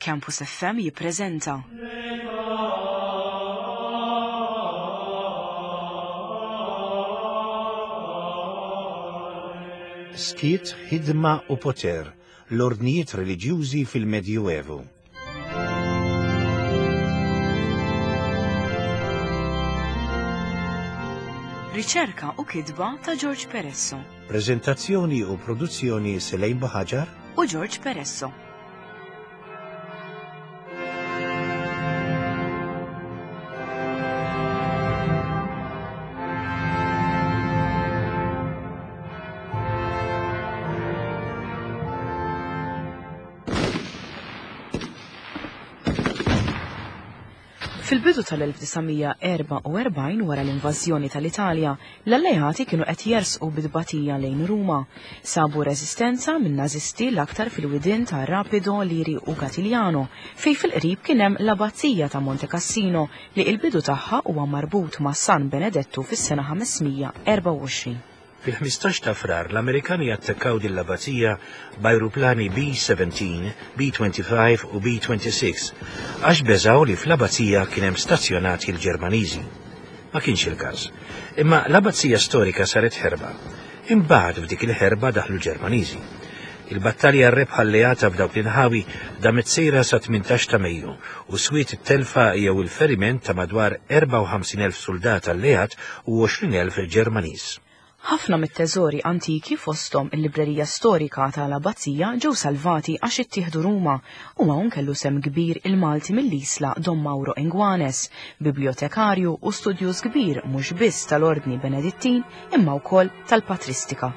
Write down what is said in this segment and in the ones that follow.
Campus FM jippreżenta. Skiet, ħidma u poter, l-ordnijiet reliġjużi fil-Medjuevu. Riċerka u kitba ta' George Peresso. Preżentazzjoni u produzzjoni Selejn Buħaġar u George Peresso. Fil-bidu tal-1944 wara l-invażjoni tal-Italja, l-Alleati kienu qed jersqu bi tbatija lejn Ruma. Sabu reżistenza minn Nażisti l-aktar fil-widien ta' Rapido, Liri u Gatigliano, fejn fil-qrib kien hemm l-Abbazija ta' Monte Cassino li il-bidu tagħha huwa marbut ma' San Benedettu fis-sena 524. Fil-15 ta' Frar l-Amerikani attakkaw din l-abbazija b'ajruplani B-17, B-25 u B-26 għax beżgħu li fl-abbazija kien hemm stazzjonati l-Ġermaniżi. Ma kienx il-każ. Imma l-abbazija storika saret ħerba. Imbagħad f'dik il-ħerba daħlu l-Ġermaniżi. Il-battalja rebħa alleata f'dawk l-inħawi damet sejra sa 18 ta' Mejju u swiet it-telfa jew il-feriment ta' madwar 54,000 suldat alleat u 20,000 Ġermaniż. Ħafna mit-teżori antiki fosthom il-librerija storika ta' l-Abbazija ġew salvati għax ittieħdu Ruma u hawn kellu sehem kbir il-Malti mill-Isla Dom Mauro Inguanes, bibljotekarju u studjuż kbir mhux biss tal-Ordni Benedittin imma wkoll tal-Patristika.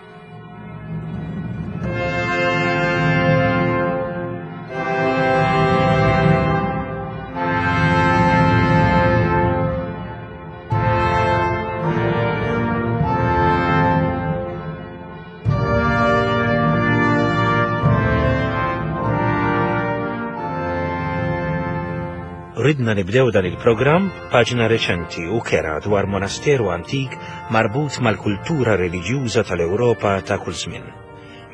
Ridna nibdew dan il-programm b'paġna reċenti u kera dwar monasteru antik marbut mal-kultura reliġjuża tal-Ewropa ta' kull żmien.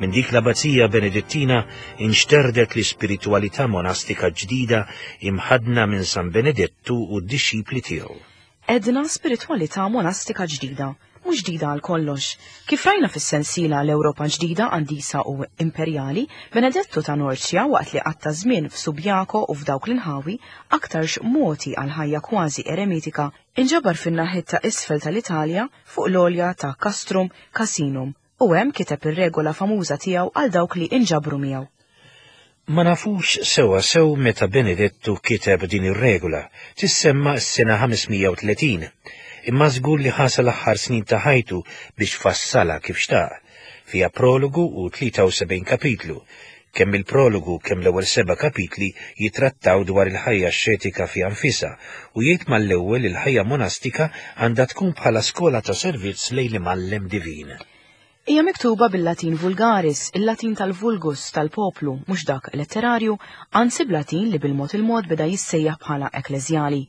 Minn dik l-abbazija Benedittina inxterdet l-ispiritwalità monastika ġdida imħaddna minn San Benedettu u d-dixxipli tiegħu. Għedna spiritwalità monastika ġdida, mhux ġdida għal kollox. Kif rajna fis-sensiela L-Ewropa Ġdida, Qaddisa u Imperjali, Benedettu ta' Norcia waqt li qatta' żmien f'Subiaco u f'dawk l-inħawi, aktarx mogħti għal ħajja kważi eremitika, inġabar fin-naħiet ta' isfel tal-Italja fuq l-għolja ta' Castrum Casinum u hemm kiteb ir-regola famuża tiegħu għal dawk li inġabru miegħu. Ma nafux sewwa sew meta Benedettu kiteb din ir-regola, tissemma s-sena 530, imma żgur li ħa sal-aħħar snin ta' ħajtu biex fassalha kif xtaq. Fiha prologu u 73 kapitlu. Kemm il-prologu kemm l-ewwel seba' kapitli jittrattaw dwar il-ħajja axxetika fiha nfisha u jgħid mal-ewwel li l-ħajja monastika għandha tkun bħala skola ta' servizz lejn l-Imgħallem divin. Hija miktuba bil-Latin vulgaris, il-Latin tal-vulgus, tal-poplu, mhux dak letterarju, anzi b'Latin li bil-mod il-mod beda jissejjaħ bħala ekkleżjali.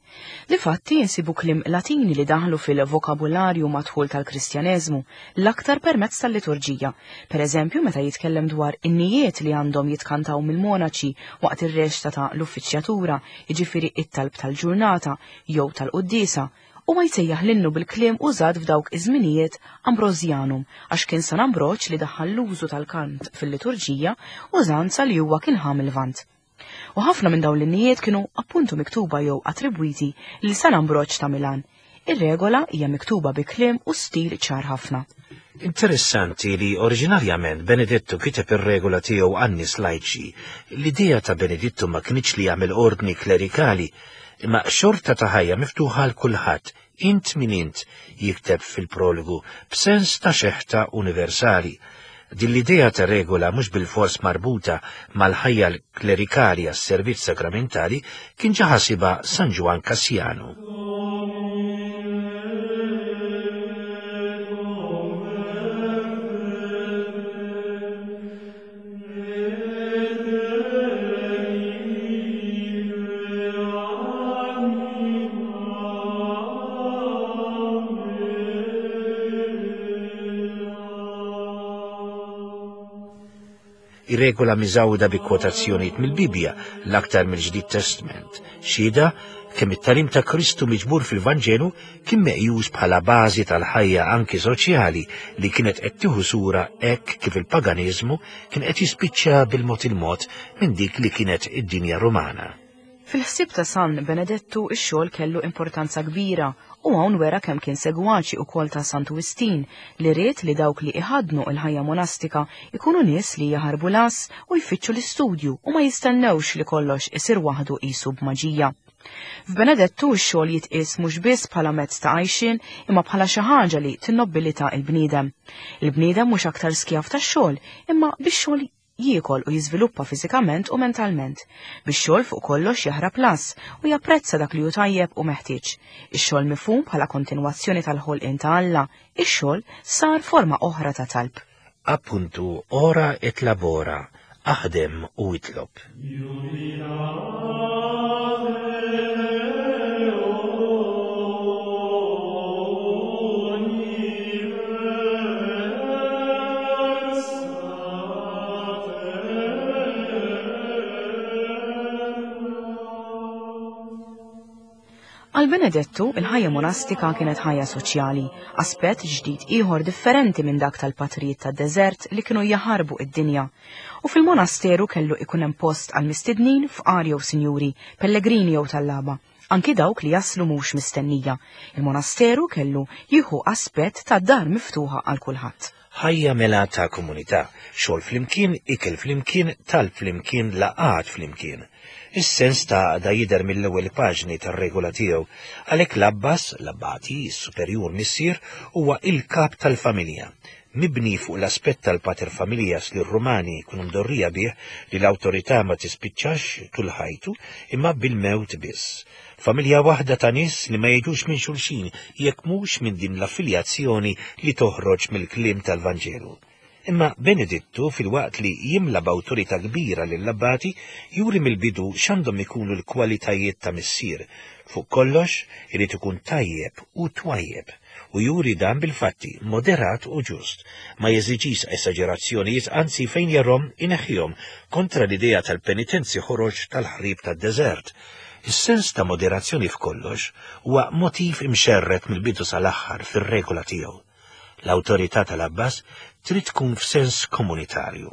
Difatti, insibu kliem Latini li daħlu fil-vokabularju mad-dħul tal-Kristjaneżmu, l-aktar permezz tal-liturġija. Per eżempju, meta jitkellem dwar innijiet li għandhom jitkantaw mill-monaċi waqt ir-reċta ta' l-uffiċjatura, jiġifieri it-talb tal-ġurnata jew tal-quddiesa, Huwa jsejjaħ l-innu bil-kliem użat f'dawk iż-żminijiet Ambrosianum għax kien San Ambroġ li daħħal l-użu tal-kant fil-liturġija, użanza li huwa kien ħa mil-Lvant. U ħafna minn dawn l-innijiet kienu appuntu miktuba jew attribwiti lil San Ambroġ ta' Milan. Ir-regola hija miktuba bi kliem u stil ċar ħafna. Interessanti li oriġinarjament Benedettu kiteb ir-regola tiegħu għan-nies lajċi. L-idea ta' Benedittu ma kinitx li jagħmel ordni klerikali, Imma xorta ta' ħajja miftuħa għal kulħadd, int min int, jikteb fil-prologu, b'sens ta' xeħta universali. Din l-idea ta' regola mhux bilfors marbuta mal-ħajja klerikali għas-servizz sagramentali kien ġa ħasibha San Ġwann Kassjanu. Hi regola miżgħuda bi kwotazzjonijiet mill-Bibbja, l-aktar mill-Ġdid Testment. Xhieda kemm it-tagħlim ta' Kristu miġbur fil-Vanġelu kien meqjus bħala bażi tal-ħajja anki soċjali li kienet qed tieħu sura hekk kif il-paganiżmu kien qed jispiċċa bil-mod il-mod minn dik li kienet id-dinja Rumana. Fil-ħsieb ta' San Benedettu x-xogħol kellu importanza kbira u hawn wera kemm kien segwaċi ukoll ta' Santu Wistin li ried li dawk li iħaddnu l-ħajja monastika jkunu nies li jaħarbu l-għażż u jfittxu l-istudju u ma jistennewx li kollox isir waħdu qisu b'maġija. F'Benedettu x-xogħol jitqies mhux biss bħala mezz ta' għajxien imma bħala xi ħaġa li tinnobbilita l-bniedem. Il-bniedem mhux aktar skjav tax-xogħol imma bix-xogħol jiekol u jiżviluppa fiżikament u mentalment. Bix-xogħol fuq kollox jaħrab l-għażż u japprezza dak li hu tajjeb u meħtieġ. Ix-xogħol mifhum bħala kontinwazzjoni tal-ħolqien ta' Alla, ix-xogħol sar forma oħra ta' talb. Appuntu ora et labora, aħdem u itlob. Għal Benedettu, il-ħajja monastika kienet ħajja soċjali, aspett ġdid ieħor differenti minn dak tal-patrijiet tad-deżert li kienu jaħarbu id-dinja. U fil-monasteru kellu ikun hemm post għal mistednin fqar jew sinjuri, pellegrini jew tallaba. Anki dawk li jaslu mhux mistennija. Il-monasteru kellu jieħu aspett ta' dar miftuħa għal kulħadd. Ħajja mela ta' komunità, xogħol flimkien, ikel flimkien, talb flimkien, laqgħat flimkien. Is-sens ta' għaqda jidher mill-ewwel paġni tar-regola tiegħu. Għalhekk l-abbas, l-abbati, is-superjur missier, huwa il-kap tal-familja. Mibni fuq l-aspett tal-pater familias li r-Rumani jkunu mdorrija bih li l-awtorità ma tispiċċax tul ħajtu imma bil-mewt biss. Familja waħda ta' nies li ma jiġux minn xulxin jekk mhux minn din l-affiljazzjoni li toħroġ mill-kliem tal-Vanġelu. Imma Benedittu, filwaqt li jimla b'awtorità kbira lill-abbati, juri mill-bidu x'għandhom ikunu l-kwalitajiet ta' missier. Fuq kollox, irid ikun tajjeb u twajjeb. U juri dan bil-fatti, moderat u ġust. Ma jeżiġix esaġerazzjonijiet, anzi fejn jarhom ineħħihom, kontra l-idea tal-penitenzi ħorox tal-ħrib tad-deżert. Is-sens ta' moderazzjoni f'kollox huwa motiv imxerred mill-bidu sal-aħħar fir-regola tiegħu. L-awtorità tal-Abbas trid tkun f'sens komunitarju.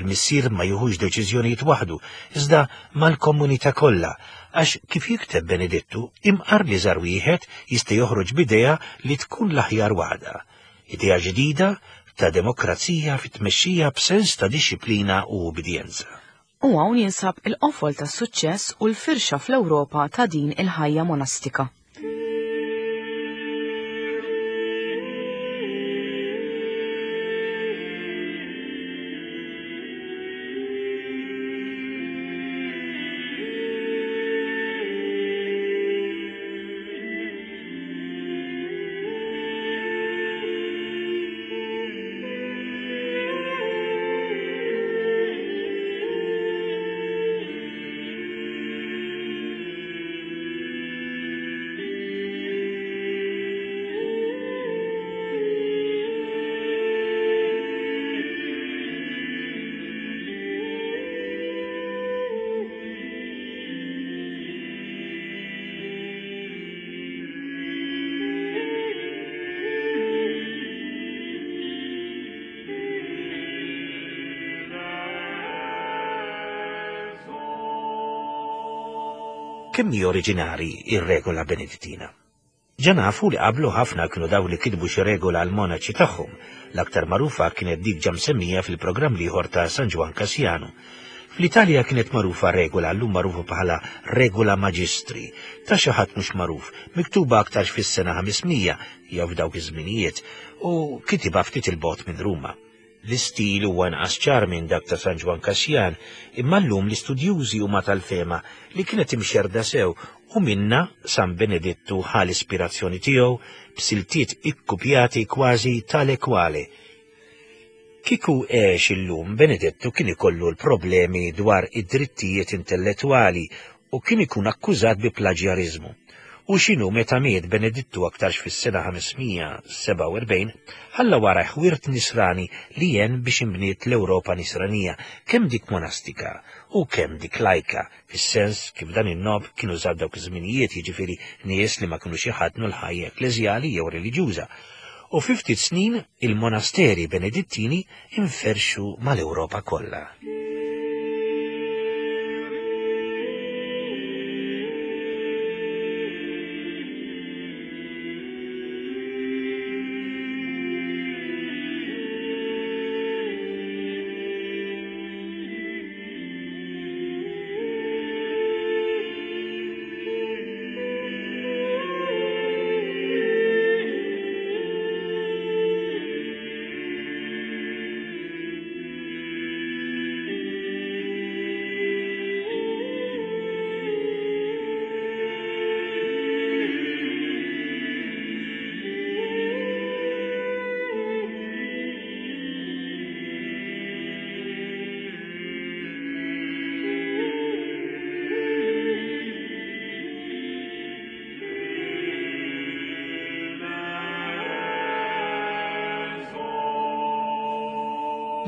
Il-missier ma jieħux deċiżjonijiet waħdu, iżda mal-komunità kollha, għax kif jikteb Benedittu, imqar li żar wieħed jista' joħroġ b'idea li tkun l-aħjar waħda. Idea ġdida ta' demokrazija fit-tmexxija b'sens ta' dixxiplina u ubbidjenza. U hawn jinsab il-qofol tas-suċċess u l-firxa fl-Ewropa ta' din il-ħajja monastika. Kemm hi oriġinali ir-regola Benedittina? Ġa nafu li qablu ħafna kienu dawk li kitbu xi regola għall-monaċi tagħhom. L-aktar magħrufa kienet dik ġa msemmija fil-programm l-ieħor ta' San Ġwann Kassjanu. Fl-Italja kienet magħrufa regola llum magħrufa bħala Regula Magistri, ta' xi ħadd mhux magħruf, miktuba aktarx fis-sena 500 jew f'dawk iż-żminijiet, u kitibha ftit 'il bogħod minn Ruma. L-istil huwa inqas ċar minn dak ta' San Ġwann Kassjan, imma llum l-istudjużi huma tal-fehma li kienet imxerrda sew u minnha San Benedittu ħa l-ispirazzjoni tiegħu b'siltiet ikkupjati kważi tale quale. Kieku għex illum Benedettu kien ikollu l-problemi dwar id-drittijiet intellettwali u kien ikun akkużat bi plaġjariżmu. U x'inhu meta miet Benedittu aktarx fis-sena 547, ħalla warajh wirt nisrani li għen biex inbniet l-Ewropa nisranija, kemm dik monastika u kemm dik lajka, fis-sens kif dan in-nom kien użat dawk iż-żminijiet, jiġifieri nies li ma kinux iħaddnu l-ħajja ekkleżjali jew reliġjuża. U fi ftit snin il-monasteri Benedittini inferxu mal-Ewropa kollha.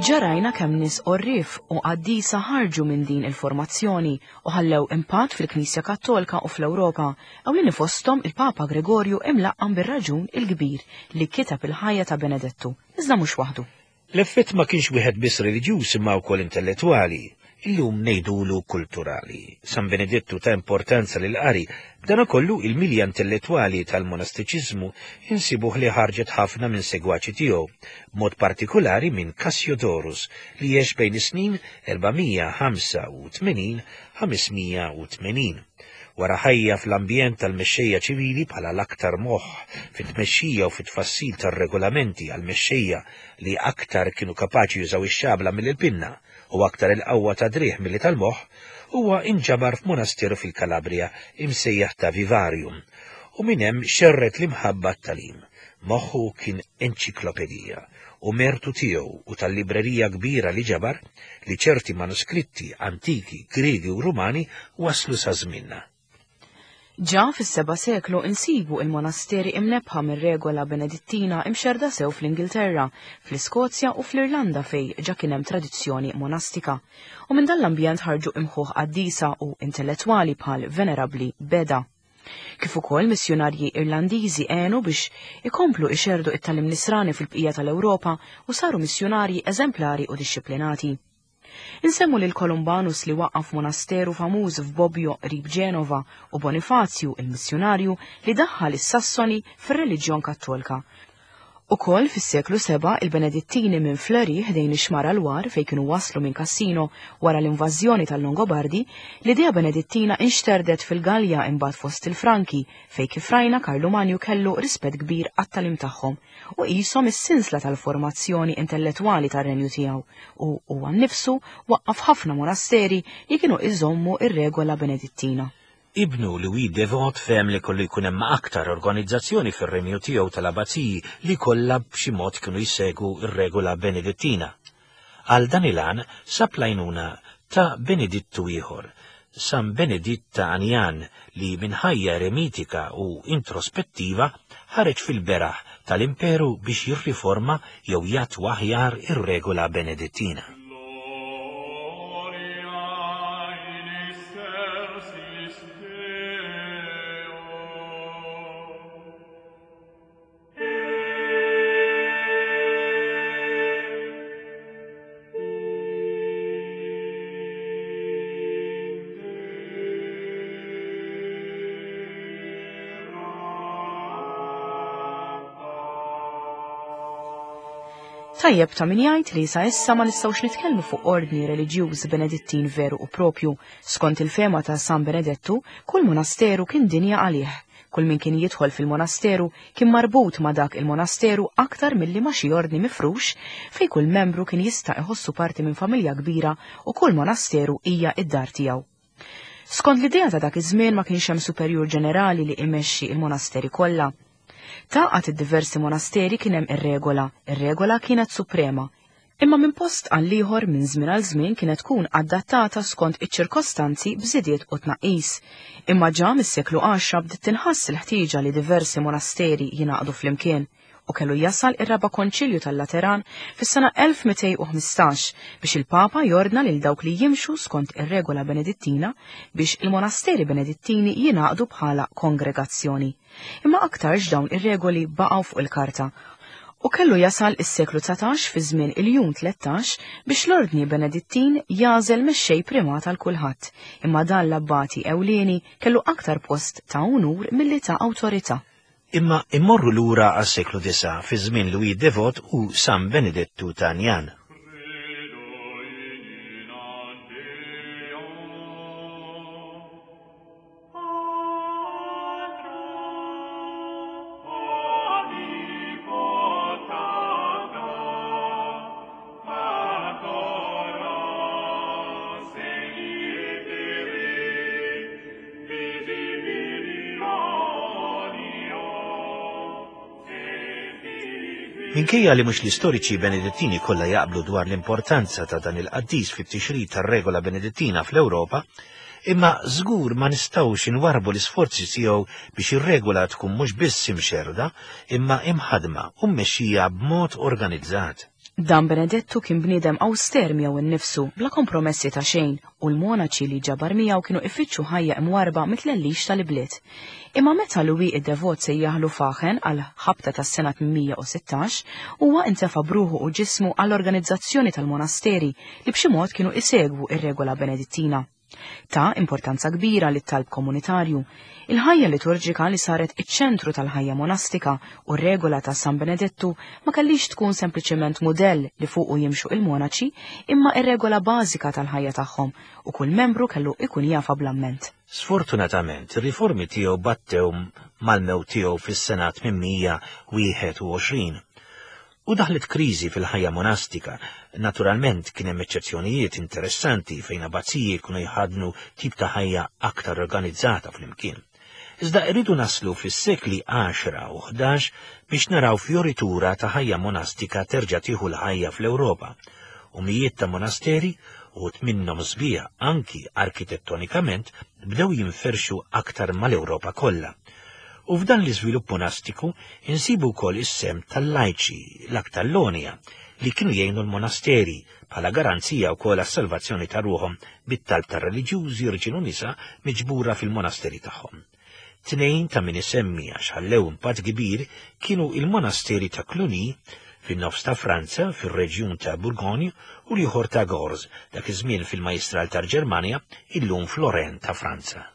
Ġa rajna kemm nies għorrief u qaddisa ħarġu minn din il-formazzjoni u ħallew impatt fil-Knisja Kattolka u fl-Ewropa, ewlieni fosthom il-Papa Gregorju imlaqqam bir-raġun il-Kbir li kiteb il-ħajja ta' Benedettu, iżda mhux waħdu. L-effett ma kienx wieħed biss reliġjuż imma wkoll intellettwali, illum ngħidulu kulturali. San Benedettu ta importanza lill-qari, b'danakollu il-milja intellettwali tal-monastiċiżmu insibuh li ħarġet ħafna minn segwaċi tiegħu, b'mod partikulari minn Cassiodorus li għex bejn is-snin 485-580. Wara ħajja fl-ambjent tal-mexxejja ċivili bħala l-aktar moħħ fit-tmexxija u fit-tfassil tar-regolamenti għall-mexxejja li aktar kienu kapaċi jużaw ix-xabla milli l-pinna u aktar il-qawwa tad-driegħ milli tal-moħħ, huwa inġabar f'monasteru fil-Kalabrija imsejjaħ ta' Vivarium u minn hemm xerred l-imħabba għat-tagħlim. Moħħu kien enċiklopedija u mertu tiegħu u tal-librerija kbira li ġabar li ċerti manuskritti antiki Griegi u Rumani waslu sa żmienna. Ġa fis-seba' seklu insibu il-monasteri imnebbħa mir-regola Benedittina imxerrda sew fl-Ingilterra, fl-Iskozja u fl-Irlanda fejn ġa kien hemm tradizzjoni monastika. U minn dan l-ambjent ħarġu imħuħ qaddisa u intellettwali bħal Venerabbli Beda. Kif ukoll missjunarji Irlandiżi għenu biex ikomplu ixerrdu it-tagħlim nisrani fil-bqija tal-Ewropa u saru missjunarji eżemplari u dixxiplinati. Insemmu lil Columbanus li waqqaf monasteru famuż f'Bobbio qrib Ġenova u Bonifazju, il-missjunarju li daħħal is-Sassoni fir-reliġjon Kattolka. Ukoll fis-seklu seba' il-Benedittini minn Fleury ħdejn ix-xmara Loire fejn kienu waslu minn Cassino wara l-invażjoni tal-Longobardi, l-idea Benedittina inxterdet fil-Gallja imbagħad fost il-Franki fejn kif rajna Karlu Manju kellu rispett kbir għat-tagħlim tagħhom u qishom is-sinsla tal-formazzjoni intellettwali tar-renju tiegħu u huwa nnifsu waqqaf ħafna monasteri li kienu iżommu r-regola Benedittina. Ibnu Louis Devot fehem li kollu jkun hemm aktar organizzazzjoni fir-renju tiegħu tal-abbaziji li kollha b'xi mod kienu jsegwu r-regola Benedittina. Għal dan il-għan sab l-għajnuna ta' Benedittu ieħor, San Beneditt ta' Anian li minn ħajja eremitika u introspettiva ħareġ fil-beraħ tal-imperu biex jirriforma jew jattwa aħjar ir-regola Benedittina. Tajjeb ta' min jgħid li sa issa ma nistgħux nitkellmu fuq ordni reliġjuż Benedittin veru u propju. Skont il-fema ta' San Benedettu, kull monasteru kien dinja għalih. Kull min kien jidħol fil-monasteru kien marbut ma' dak il-monasteru aktar milli ma' xi ordni mifrux fejn kull membru kien jista' iħossu parti minn familja kbira u kull monasteru hija d-dar tiegħu. Skont l-idea ta' dak iż-żmien ma kienx hemm superjur ġenerali li imexxi il-monasteri kollha. Tgħaqqad id-diversi monasteri kien hemm ir-regola, ir-regola kienet suprema. Imma minn post għal ieħor minn żmien għal żmien kienet tkun adattata skont iċ-ċirkostanzi b'żidiet u tnaqqis. Imma ġa mis-seklu 10 bdiet tinħass il-ħtieġa li diversi monasteri jingħaqdu flimkien u kellu jasal ir-Raba' Konċilju tal-Lateran fis-sena 1215 biex il-Papa jordna lil dawk li jimxu skont ir-regola Benedittina biex il-monasteri Benedittini jingħaqdu bħala kongregazzjoni. Imma aktarx dawn ir-regoli baqgħu fuq il-karta u kellu jasal is-seklu 19 fi żmien il-Jun 13 biex l-Ordni Benedittin jagħżel mexxej primat għal kulħadd, imma dan l-abbati ewlieni kellu aktar post ta' unur milli ta' awtorità. Imma immorru lura għas-seklu 9 fi żmien Louis Devot u San Benedettu ta' Njan. Minkejja li mhux l-istoriċi Benedittini kollha jaqblu dwar l-importanza ta' dan il-qaddis fit-tixrid tar-regola Benedittina fl-Ewropa, imma żgur ma nistgħux inwarrbu l-isforzi tiegħu biex ir-regola tkun mhux biss imxerrda, imma imħaddma u mmexxija b'mod organizzat. Dan Benedettu kien bniedem awster miegħu nnifsu, bla kompromessi ta' xejn, u l-monaċi li ġabar miegħu kienu ifittxu ħajja imwarrba mit-tlellix tal-ibliet. Imma meta Louis id-Devot sejjaħlu Fachen għal ħabta tas-sena 816, huwa intefa' b'ruħu u ġismu għall-organizzazzjoni tal-monasteri li b'xi mod kienu isegwu r-regola Benedittina. Ta importanza kbira lit-talb komunitarju, il-ħajja liturġika li saret iċ-ċentru tal-ħajja monastika u r-regola ta' San Benedettu ma kellix tkun sempliċement mudell li fuqu jimxu il-monaċi imma ir-regola bażika tal-ħajja tagħhom u kull membru kellu ikun jafha bl-amment. Sfortunatament, ir-riformi tiegħu battew mal-mewt tiegħu fis-sena 821. U daħlet kriżi fil-ħajja monastika. Naturalment kien hemm eċċezzjonijiet interessanti fejn abbaziji kienu jħaddnu tip ta' ħajja aktar organizzata flimkien. Iżda rridu naslu fis-sekli 10 u 11 biex naraw fjoritura ta' ħajja monastika terġa' tieħu l-ħajja fl-Ewropa. U mijiet ta' monasteri, uħud minnhom sbieħ anki arkitettonikament, bdew jinferxu aktar mal-Ewropa kollha. U f'dan l-iżvilupp monastiku insibu wkoll is-sehem tal-lajċi, l-aktar l-għonja, li kienu jgħinu l-monasteri bħala garanzija wkoll għas-salvazzjoni ta' ruħhom bit-talb tar-reliġjużi rġiel u nisa miġbura fil-monasteri tagħhom. Tnejn ta' min isemmi għax ħallew impatt kbir kienu il-monasteri ta' Cluny fin-nofs ta' Franza, fir-reġjun ta' Bourgogne, u l-ieħor ta' Gorze, dak iż-żmien fil-Majjistral tal-Ġermanja, illum f'Lorraine ta' Franza.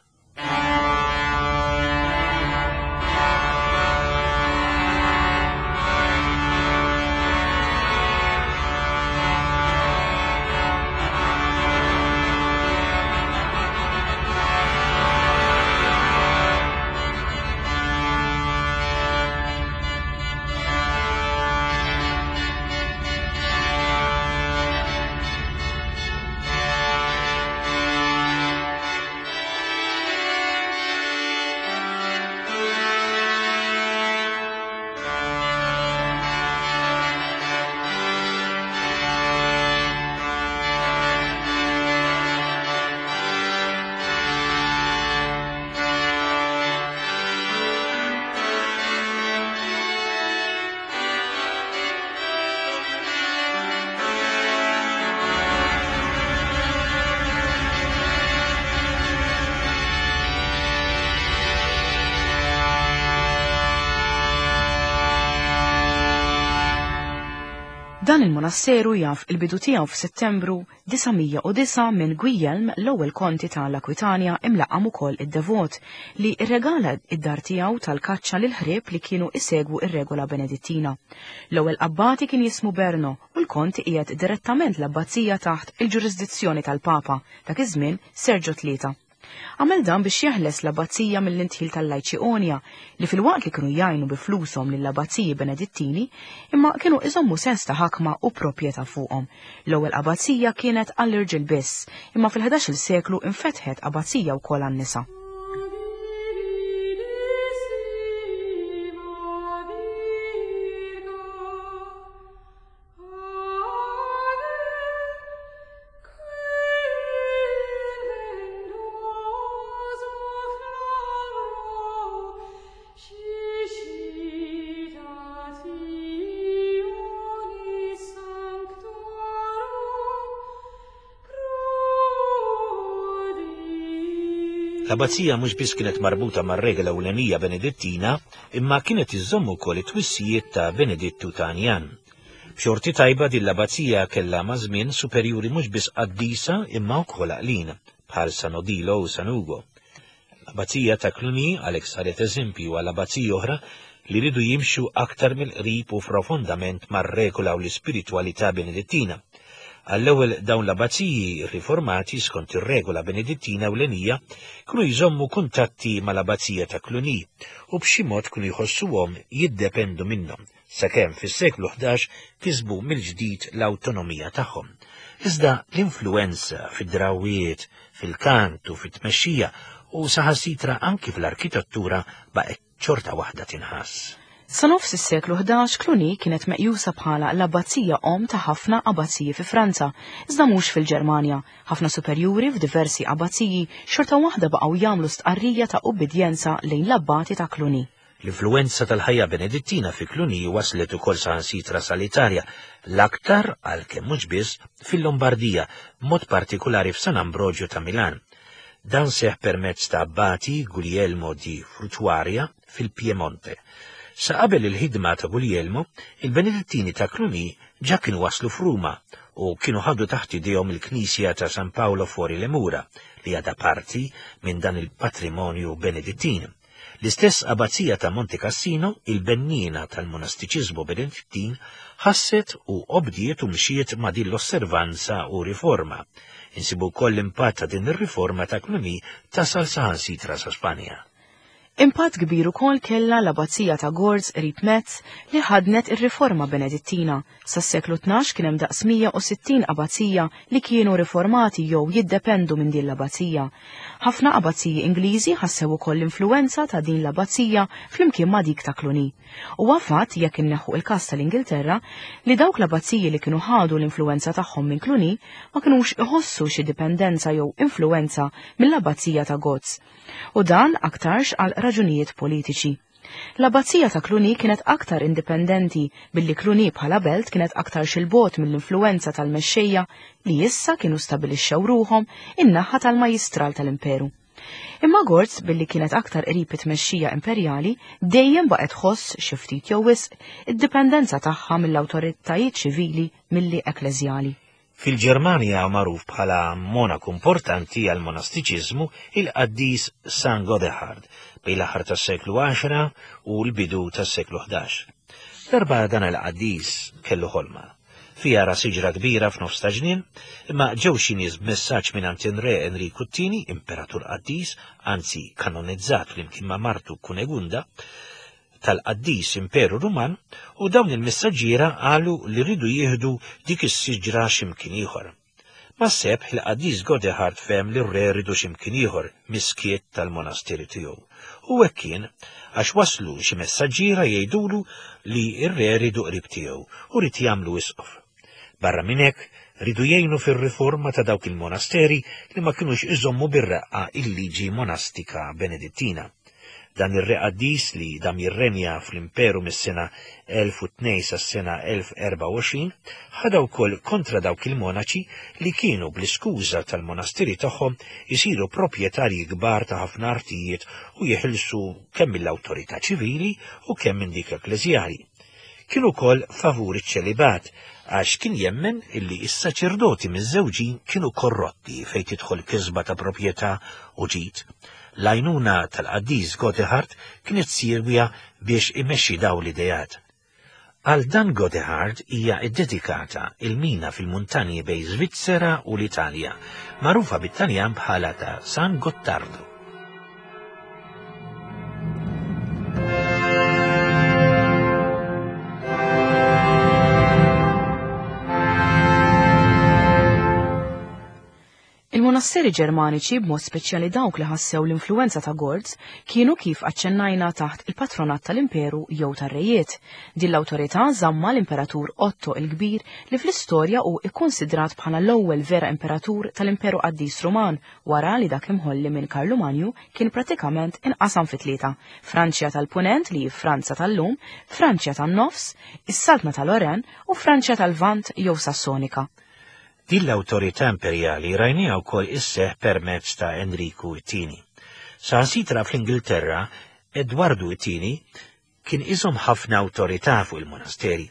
Dan il-monasteru jaf il-bidu tiegħu f'Settembru 909 minn Guillelm l-ewwel konti ta' l-Akwitanja imlaqqam ukoll id-Devot li rregala id-dar tiegħu tal-kaċċa lil ħrieb li kienu isegwu ir-regola Benedittina. L-ewwel abbati kien jismu Berno u l-kont qiegħed direttament l-abbazija taħt il-ġurisdizzjoni tal-Papa, dak iż-żmien Sergio Tlieta. Għamel dan biex jeħles l-abbazija mill-indħil tal-lajċi Onja, li filwaqt li kienu jgħinu bi flushom lill-abbaziji Benedittini, imma kienu iżommu sens ta' ħakma u proprjetà fuqhom. L-ewwel abbazija kienet għall-irġiel biss, imma fil-11-il seklu infetħet abbazija wkoll għan-nisa. L-abbazija mhux biss kienet marbuta mar-regola ewlenija Benedittina, imma kienet iżżomm ukoll it-twissijiet ta' Benedittu ta' Anjan. B'xorti tajba din l-abbazija kellha maż-żmien superjuri mhux biss qaddisa imma wkoll għaqlin, bħal San Odilo u San Ugo. L-abbazija ta' Cluny għalhekk saret eżempju għal abbaziji oħra li riedu jimxu aktar mill-qrib u profondament mar-regola u l-ispiritwalità Benedittina. Għall-ewwel dawn l-abbaziji riformati skont ir-regola Benedittina ewlenija kienu jżommu kuntatti mal-abbazija ta' Cluny u b'xi mod kienu jħossuhom jiddependu minnhom, sakemm fis-seklu 11 kisbu mill-ġdid l-awtonomija tagħhom. Iżda l-influwenza fid-drawwiet, fil-kant u fit-tmexxija u saħansitra anki fl-arkitettura baqgħet xorta waħda tinħass. Sa nofs is-seklu 11 Cluny kienet meqjusa bħala l-abbazija omm ta' ħafna abbaziji fi Franza, iżda mhux fil-Ġermanja. Ħafna superjuri f'diversi abbaziji xorta waħda baqgħu jagħmlu stqarrija ta' ubbidjenza lejn l-abbati ta' Cluny. L-influwenza tal-ħajja Benedittina fi Cluny waslet ukoll saħansitra sal-Italja, l-aktar, għalkemm mhux biss, fil-Lombardija, b'mod partikulari f'San Ambrogio ta' Milan. Dan seħħ permezz ta' abbati Guglielmo di Fruttuaria fil-Piemonte. Sa qabel il-ħidma ta' Guglielmo, il-Benedittini ta' Cluny ġa kienu waslu f'Ruma u kienu ħadu taħt idejhom il-knisja ta' San Paolo fuori le Mura, li għadha parti minn dan il-patrimonju Benedittin. L-istess abbazija ta' Monte Cassino, il-benniena tal-monastiċiżmu Benedittin, ħasset u obdiet u mxiet ma' din l-osservanza u riforma. Insibu wkoll l-impatt ta' din ir-riforma ta' Cluny tasal saħansitra sa Spanja. Impatt kbir ukoll kellha l-Abbazija ta' Gorz qrib Metz li ħaddnet ir-riforma Benedittina. Sas-seklu 12 kien hemm daqs 160 abbazija li kienu riformati jew jiddependu minn din l-abbazija. Ħafna abbaziji Ingliżi ħassew ukoll l-influwenza ta' din l-abbazija flimkien ma' dik ta' Cluny. Huwa fatt, jekk inneħħu il-każ tal-Ingilterra, li dawk l-abbaziji li kienu ħadu l-influwenza tagħhom minn Cluny ma kinux iħossu xi dipendenza jew influwenza mill-abbazija ta' Gorz. U dan aktarx għal raġunijiet politiċi. L-abbazija ta' Cluny kienet aktar indipendenti billi Cluny bħala belt kienet aktarx 'il bogħod mill-influwenza tal-mexxejja li issa kienu stabilixxew ruħhom in-naħa tal-majjistral tal-imperu. Imma Gorz billi kienet aktar qrib it-tmexxija imperjali dejjem baqgħet tħoss xi ftit jew wisq id-dipendenza tagħha mill-awtoritajiet ċivili milli ekkleżjali. Fil-Ġermanja magħruf bħala monaku importanti għall-monastiċiżmu il-qaddis San Godehard bejn l-aħħar tas-seklu 10 u l-bidu tas-seklu 11. Darba dan il-qaddis kellu ħolma. Fiha ra siġra kbira f'nofs ta' ġnien, imma ġew xi nies b'messaġġ mingħand in-Re Enriku t-Tieni, imperatur qaddis, anzi kanonizzat flimkien ma' martu Kunegunda, tal-qaddis Imperu Ruman u dawn il-messaġġiera qalu li riedu jieħdu dik is-siġra x'imkien ieħor. Mas-sebħ il-qaddis Godehard fehem li r-re riedu x'imkien ieħor mis-skiet tal-monasteru tiegħu. U hekk kien, għax waslu xi messaġġiera jgħidulu li r-re riedu qrib tiegħu u ried jagħmlu isqof. Barra minn hekk, riedu jgħinu fir-riforma ta' dawk il-monasteri li ma kinux iżommu bir-reqqa il-liġi monastika Benedittina. Dan ir-re qaddis li dam jirrenja fl-imperu mis-sena 1002 sas-sena 1024 ħadha wkoll kontra dawk il-monaċi li kienu bl-iskuża tal-monasteri tagħhom isiru proprjetarji kbar ta' ħafna artijiet u jeħilsu kemm mill-awtorità ċivili u kemm minn dik ekkleżjali. Kien ukoll favur iċ-ċelibat għax kien jemmen illi s-saċerdoti miżżewġin kienu korrotti fejn tidħol kisba ta' proprjetà u ġid. L-għajnuna tal-qaddis Godehard kienet siewja biex imexxi dawn l-ideat. Għal dan Godehard hija ddedikata il-mina fil-muntanji bejn Svizzera u l-Italja, magħrufa bit-Taljan bħala ta' San Gottardo. Il-monasteri Ġermaniċi, b'mod speċjali dawk li ħassew l-influwenza ta' Gorz, kienu kif aċċennajna taħt il-patronat tal-Imperu jew tar-rejiet. Din l-awtorità żammha l-Imperatur Otto il-Kbir li fl-istorja hu kkunsidrat bħala l-ewwel vera imperatur tal-Imperu Qaddis Ruman wara li dak imħolli minn Karlumanju kien prattikament inqasam fi tlieta, Franċja tal-Punent li hi Franza tal-lum, Franċja tan-Nofs, is-Saltna ta' Lorraine u Franċja tal-Lvant jew Sassonika. Din l-awtorità imperjali rajniha wkoll isseħħ permezz ta' Enriku it-Tieni. Saħansitra fl-Ingilterra, Edwardu it-Tieni kien iżomm ħafna awtorità fuq il-monasteri.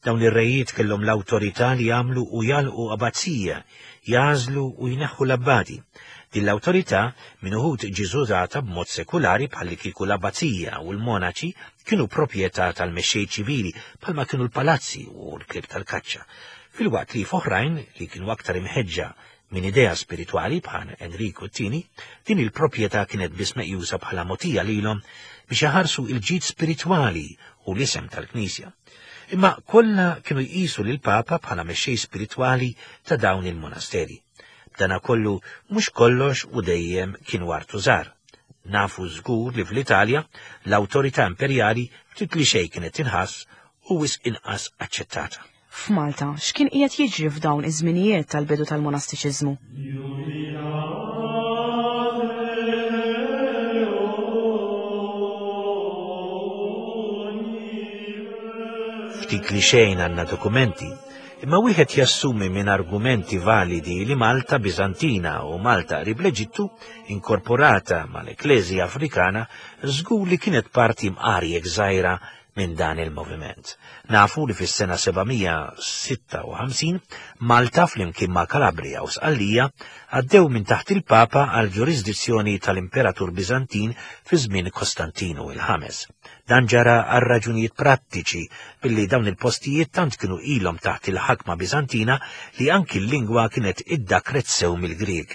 Dawn ir-rejiet kellhom l-awtorità li jagħmlu u jagħlqu abbazija, jagħżlu u jneħħu l-abbati. Din l-awtorità minn uħud ġiet użata b'mod sekulari bħallikieku l-abbazija u l-monaċi kienu proprjetà tal-mexxej ċivili bħalma kienu l-palazzi u l-klieb tal-kaċċa, filwaqt li f'oħrajn li kienu aktar imħeġġa minn idea spiritwali bħal Enriku t-Tieni, din il-proprjetà kienet biss meqjusa bħala mogħtija lilhom biex iħarsu il-ġid spiritwali u l-isem tal-Knisja. Imma kollha kienu jqisu lill-Papa bħala mexxej spiritwali ta' dawn il-monasteri. B'dana kollu mhux kollox u dejjem kienu artużar. Nafu żgur li fl-Italja l-awtorità imperjali ftit li xejn kienet tinħass u wisq inqas aċċettata. F'Malta, x'kien qiegħed jiġri f'dawn iż-żminijiet tal-bidu tal-monastiċiżmu? Ftit li xejn għandna dokumenti, imma wieħed jassumi minn argumenti validi li Malta Biżantina u Malta qrib l-Eġittu, inkorporata mal-Ekkleżja Afrikana, żgur li kienet parti mqar jekk żgħira minn dan il-moviment. Nafu li fis-sena 756 Malta flimkien ma' Calabria u Sqallija għaddew minn taħt il-Papa għal ġurisdizzjoni tal-Imperatur Biżantin fi żmien Kostantinu il-Ħames. Dan ġara għal raġunijiet prattiċi billi dawn il-postijiet tant kienu ilhom taħt il-ħakma Biżantina li anki l-lingwa kienet iddakret sew mill-Grieg.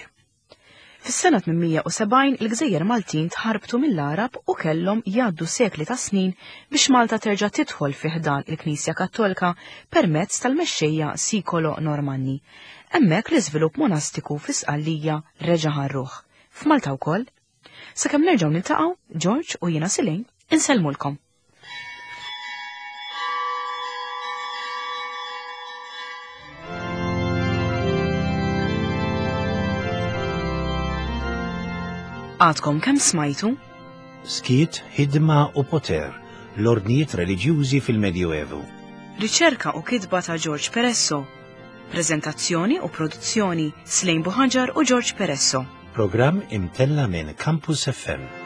Fis-sena 870 il-gżejjer Maltin tħarbtu mill-Għarab u kellhom jgħaddu sekli ta' snin biex Malta terġa' tidħol fi ħdan il-Knisja Kattolka permezz tal-mexxejja Sikolo Normanni. Hemmhekk l-iżvilupp monastiku fi Sqallija reġa' ħa r-ruħ. F'Malta wkoll. Sakemm nerġgħu niltaqgħu, George u jiena Silejn insellmulkom. Għadkom kemm smajtu? Skiet, ħidma u poter, l-ordnijiet reliġjużi fil-Medjuevu. Riċerka u kitba ta' George Peresso. Prezentazzjoni u produzzjoni Slejn Buħaġar u George Peresso. Programm imtella minn Campus FM.